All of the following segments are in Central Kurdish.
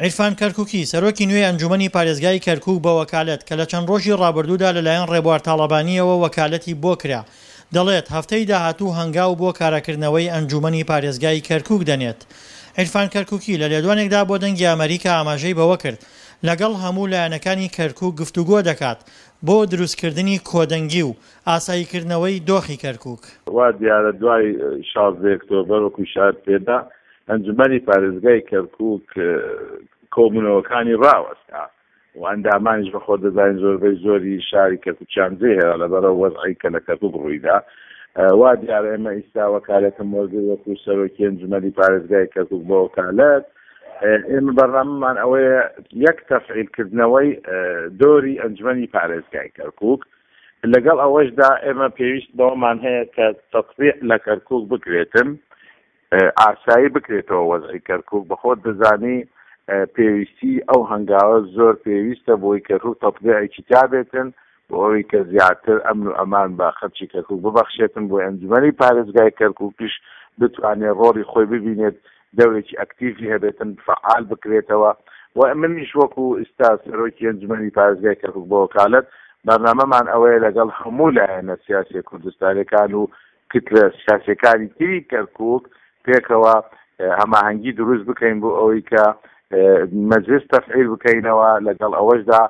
عیرفان کەرکوکی، سەرۆکی نوێی ئەنجومەنی پارێزگای کەرکوک بە وەکالەت، کە لە چەند ڕۆژی ڕابردوودا لەلایەن ڕێبوار تاڵەبانییەوە وەکالەتی بۆ کرا، دەڵێت، هەفتەی داهاتوو هەنگاو بۆ کاراکردنەوەی ئەنجومەنی پارێزگای کەرکوک دەنێت. عیرفان کەرکوکی لە لێدوانێکدا بۆ دەنگی ئەمەریکا ئاماژەی بەوە کرد، لەگەڵ هەموو لایەنەکانی کەرکوک گفتوگۆ دەکات بۆ دروستکردنی کۆدەنگی و ئاساییکردنەوەی دۆخی کەرکوک. وا دیارە دوای 16 ئۆکتۆبەر وەکو شار پێدا ئەنجومەنی پارێزگای کەرکوک کۆبوونەوەکانی ڕاوەستا و ئەندامانیش بە خۆت دەزانین زۆربەی زۆری شاری کەرکوکیان جێهێڵا لەبەر ئەو وەزعەی کە لە کەرکوک ڕوویدا. وا دیارە ئێمە ئیستا وەکالەتم وەرگرت وەکو سەرۆکی ئەنجومەنی پارێزگای کەرکوک بە وەکالەت. ئێمە بەرنامەمان ئەوەیە یەک تەفعیل کردنەوەی دۆری ئەنجومەنی پارێزگای کەرکوک لەگەڵ ئەوەشدا ئێمە پێویست بەوەمان هەیە کە تەتبیع لە کەرکوک بکرێتن ئاسایی بکرێتەوە وەزعی کەرکوک بەخۆت دەزانی پێویستی ئەو هەنگاوە زۆر پێویستە بۆی کەرکوک تەتبیعێکی تیابێتن بۆ ئەوەی کە زیاتر ئەمن و ئەمان بە خەلکی کەرکوک ببەخشێتن بۆی ئەنجومەنی پارێزگای کەرکوکیش بتوانێت ڕۆڵی خۆی ببینێت دەورێکی ئەکتیڤی هەبێتن فەعال بکرێتەوە و منیش وەکو ئیستا سەرۆکی ئەنجومەنی پارێزگای کەرکوک بە وەکالەت بەرنامەمان ئەوەیە لەگەڵ هەموو لایەنە سیاسیە کوردستانیەکان و کتلە سیاسیەکانی تری کەرکوک پێکەوە هەماهەنگی دروست بکەین بۆ ئەوەی کە مەجلس تەفعیل بکەینەوە لەگەڵ ئەوەشدا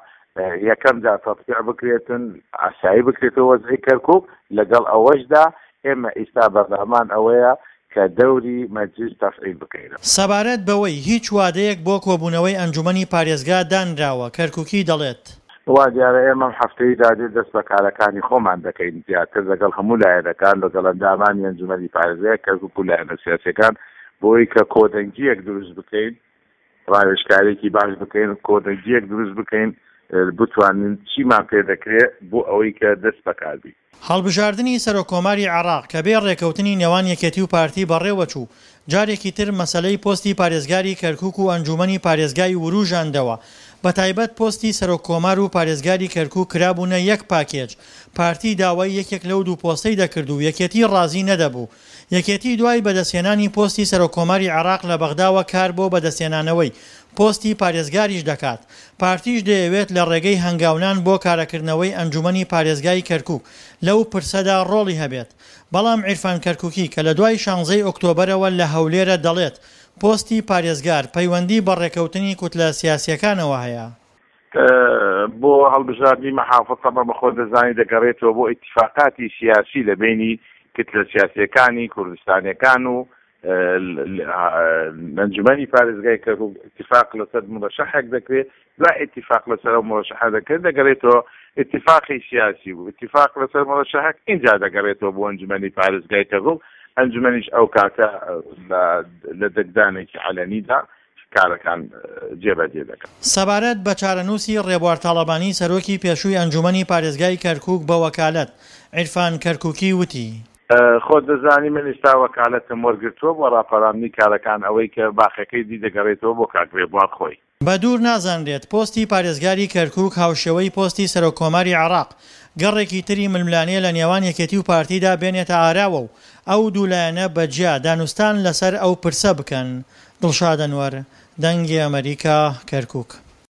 یەکەم جار تەتبیع بکرێتن ئاسایی بکرێتەوە وەزعی کەرکوک لەگەڵ ئەوەشدا ئێمە ئیستا بەرنامان ئەوەیە کە دەوری مەجلیس تەفعیل بکەینەوە. سەبارەت بەوەی هیچ وادەیەک بۆ کۆبوونەوەی ئەنجومەنی پارێزگا دانراوە، کەرکوکی دەڵێت. وا دیارە ئێمە ئەم هەفتەی دادێت دەست بە کارەکانی خۆمان دەکەین زیاتر لەگەڵ هەموو لایەنەکان لەگەڵ ئەندامانی ئەنجومەنی پارێزگای کەرکوک و لایەنە سیاسیەکان بۆی کە کۆدەنگییەک دروست بکەین ڕاوێژکاریەکی باش بکەین کۆدەنگییەک دروست بکەین بتوانین چیمان پێ دەکرێت بۆ ئەوەی کە دەست بەکار بین. هەڵبژاردنی سەرۆککۆماری عێراق کە بێ ڕێکەوتنی نێوان یەکێتی و پارتی بەڕێوەچوو، جارێکی تر مەسەلەی پۆستی پارێزگاری کەرکوک و ئەنجوومەنی پارێزگای وروژاندەوە، بەتایبەت پۆستی سەرۆککۆمار و پارێزگاری کەرکوک کرابوونە یەک پاکێج، پارتی داوای یەکێک لەو دوو پۆستەی دەکرد و یەکێتی ڕازی نەدەبوو. یەکێتی دوای بەدەستهێنانی پۆستی سەرۆککۆماری عێراق لە بەغداوە کار بۆ بەدەستهێنانەوەی پۆستی پارێزگاریش دەکات، پارتیش دەیەوێت لە ڕێگەی هەنگاونان بۆ کارەکردنەوەی ئەنجومەنی پارێزگای کەرکوک لەو پرسەدا ڕۆڵی هەبێت. بەڵام عیرفان کەرکوکی کە لە دوای شانزەی ئۆکتۆبەرەوە لە هەولێرە دەڵێت پۆستی پارێزگار پەیوەندی بە ڕێکەوتنی کوتلە سیاسیەکانەوە هەیە. بۆ هەڵبژاردنی مەحافز تەبعەن بە خۆت دەزانی دەگەڕێتەوە بۆ ئیتیفاقاتی سیاسی لە بەینی کتلە سیاسیەکانی کوردستانیەکان و ئەنجومەنی پارێزگای کەرکوک ئیتیفاق لەسەر مرەشەحێک دەکرێت دوای ئیتیفاق لەسەر ئەو مرەشەحە دەکرێت دەگەرێتەوە ئیتیفاقی سیاسی و ئیتیفاق لەسەر مرەشەحێک ئینجا دەگەڕێتەوە بۆ ئەنجومەنی پارێزگای کەرکوک ئەنجومەنیش ئەو کاتە لە دەنگدانێکی عەلەنیدا کارەکان جێبەجێ دەکات. سەبارەت بە چارەنووسی ڕێبوار تاڵەبانی سەرۆکی پێشووی ئەنجوومەنی پارێزگای کەرکووک بە وەکالەت، عیرفان کەرکووکی وتی. خۆت دەزانی من ئیستا وەکالەتم وەرگرتووە بۆ ڕاپەراندنی کارەکان ئەوەی کە باقیەکەی دی دەگەڕێتەوە بۆ کاک ڕێبوار خۆی. بە دوور نازانرێت پۆستی پارێزگاری کەرکووک هاوشێوەی پۆستی سەرۆک کۆماری عێراق گەڕێکی تری ململانێ لە نێوان یەکێتی و پارتیدا بێنێتە ئاراوە و ئەو دوو لایەنە بە جیا دانوستان لەسەر ئەو پرسە بکەن. دڵشاد ئەنوەر، دەنگی ئەمەریکا، کەرکووک.